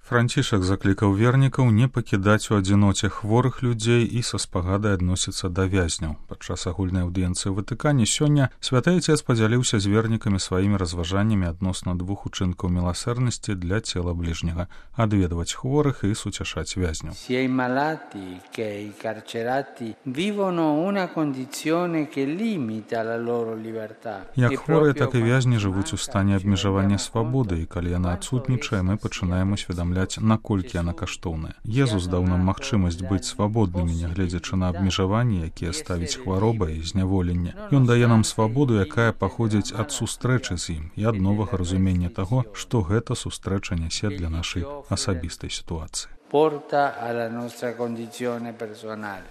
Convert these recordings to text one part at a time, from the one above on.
Францішак заклікаў вернікаў не пакідаць у адзіноце хворых людзей і са спагадай адносіцца да вязняў. Падчас агульнай аўдыенцыі ў Ватыкане сёння святы Айцец падзяліўся з вернікамі сваімі разважаннямі адносна двух учынкаў міласэрнасці для цела бліжняга – адведваць хворых і суцяшаць вязняў. Sia i malati che i carcerati vivono una condizione che limita la loro libertà. Як хворыя, так і вязні жывуць у стане абмежавання свабоды, і калі яна адсутнічае, мы пачынаем усведамляць, наколькі яна каштоўная. Езус даў нам магчымасць быць свабоднымі, нягледзячы на абмежаванні, якія ставіць хвароба і зняволенне. Ён дае нам свабоду, якая паходзіць ад сустрэчы з ім і ад новага разумення таго, што гэта сустрэча нясе для нашай асабістай сітуацыі.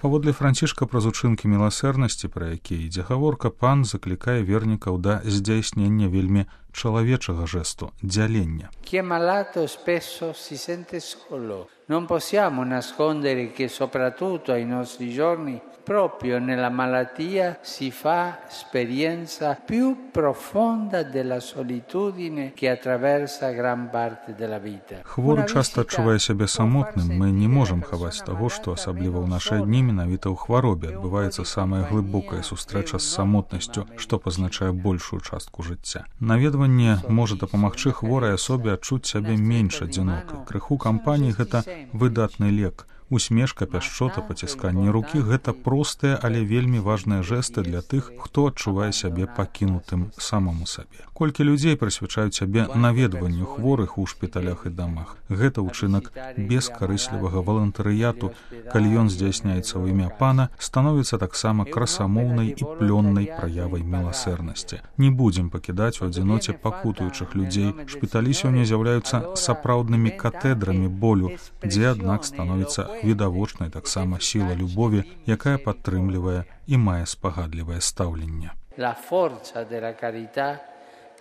Паводле Францішка праз учынкі міласэрнасці, пра якія ідзе гаворка, пан заклікае вернікаў да здзяйснення вельмі чалавечага жэсту – дзялення. Chi è malato spesso si sente solo. Non possiamo nascondere che soprattutto ai nostri giorni proprio nella malattia si fa esperienza più profonda della solitudine che attraversa gran parte della vita. Хворы часта адчувае сябе самотным. Мы не можам хаваць таго, што асабліва ў нашы дні менавіта ў хваробе адбываецца самая глыбокая сустрэча з самотнасцю, што пазначае большую частку жыцця. Наведванне можа дапамагчы хворай асобе адчуць сябе менш адзінокай. Крыху кампаніі – гэта выдатны лек. Усмешка, пяшчота, пацісканне рукі – гэта простыя, але вельмі важныя жэсты для тых, хто адчувае сябе пакінутым самому сабе. Колькі людзей прысвячаюць сябе наведванню хворых у шпіталях і дамах. Гэта ўчынак бескарыслівага валантарыяту, калі ён здзяйсняецца ў імя пана, становіцца таксама красамоўнай і плённай праявай міласэрнасці. Не будзем пакідаць у адзіноце пакутуючых людзей. Шпіталі сёння з'яўляюцца сапраўднымі катэдрамі болю, дзе, аднак, становіцца відавочнай таксама сіла любові, якая падтрымлівае і мае спагадлівае стаўленне. La forza della carità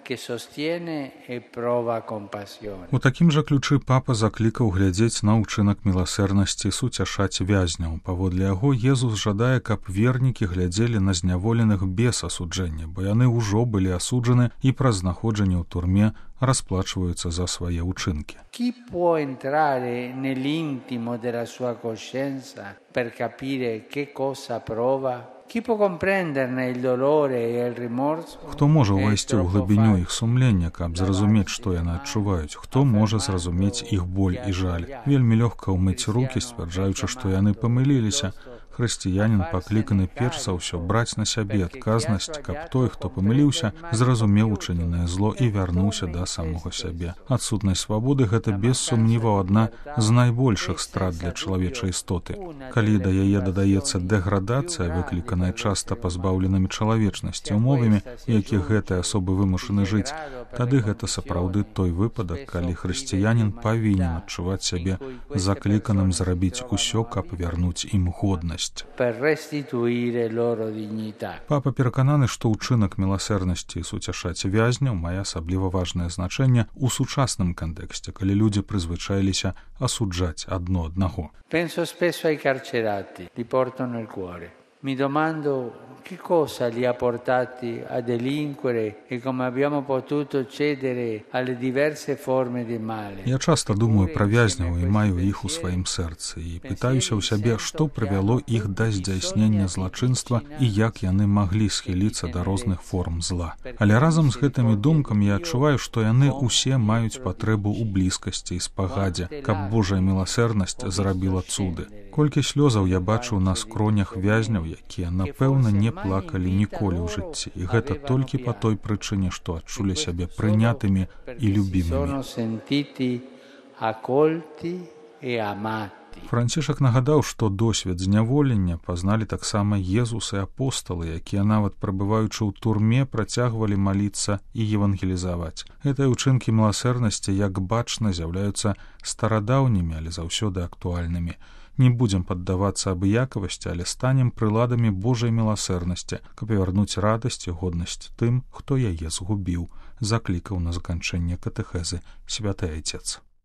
che sostiene e prova compassione. У такім жа ключы папа заклікаў глядзець на ўчынак міласэрнасці суцяшаць вязняў. Паводле яго, Езус жадае, каб вернікі глядзелі на зняволеных без асуджэння, бо яны ўжо былі асуджаны і праз знаходжанне ў турме расплачваюцца за свае ўчынкі. Chi può entrare nell'intimo della sua coscienza per capire che cosa prova? Chi può comprenderne il dolore e il rimorso? Хто можа ўвайсці ў глыбіню іх сумлення, каб зразумець, што яны адчуваюць? Хто можа зразумець іх боль і жаль? Вельмі лёгка ўмыць рукі, сцвярджаючы, што яны памыліліся. Хрысціянін пакліканы перш за ўсё браць на сябе адказнасць, каб той, хто памыліўся, зразумеў учыненае зло і вярнуўся да самога сябе. Адсутнасць свабоды – гэта без сумніваў адна з найбольшых страт для чалавечай істоты. Калі да яе дадаецца дэградацыя, выкліканая часта пазбаўленымі чалавечнасці умовамі, якіх гэтыя асобы вымушаны жыць, тады гэта сапраўды той выпадак, калі хрысціянін павінен адчуваць сябе закліканым зрабіць усё, каб вярнуць ім годнасць. Папа перакананы, што ўчынак міласэрнасці і суцяшаць вязняў мае асабліва важнае значэнне ў сучасным кантэксце, калі людзі прызвычаіліся асуджаць адно аднаго. Penso spesso ai carcerati, li porto nel cuore. Mi domando che cosa li ha portati a delinquere e come abbiamo potuto cedere alle diverse forme di male. Я часта думаю пра вязняў і маю іх у сваім сэрцы і пытаюся ў сябе, што прывяло іх да здзяйснення злачынства і як яны маглі схіліцца да розных форм зла. Але разам з гэтымі думкамі я адчуваю, што яны ўсе маюць патрэбу ў блізкасці і спагадзе, каб Божая міласэрнасць зрабіла цуды. Колькі слёзаў я бачыў на скронях вязняў, якія, напэўна, не плакалі ніколі ў жыцці. І гэта толькі па той прычыне, што адчулі сябе прынятымі і любімымі. Францішак нагадаў, што досвед зняволення пазналі таксама Езус і апосталы, якія нават прабываючы ў турме працягвалі маліцца і евангелізаваць. Гэтыя ўчынкі міласэрнасці, як бачна, з'яўляюцца старадаўнімі, але заўсёды актуальнымі. Не будзем паддавацца абыякавасці, але станем прыладамі Божай міласэрнасці, каб вярнуць радасць і годнасць тым, хто яе згубіў, заклікаў на заканчэнне катэхезы святы Айцец.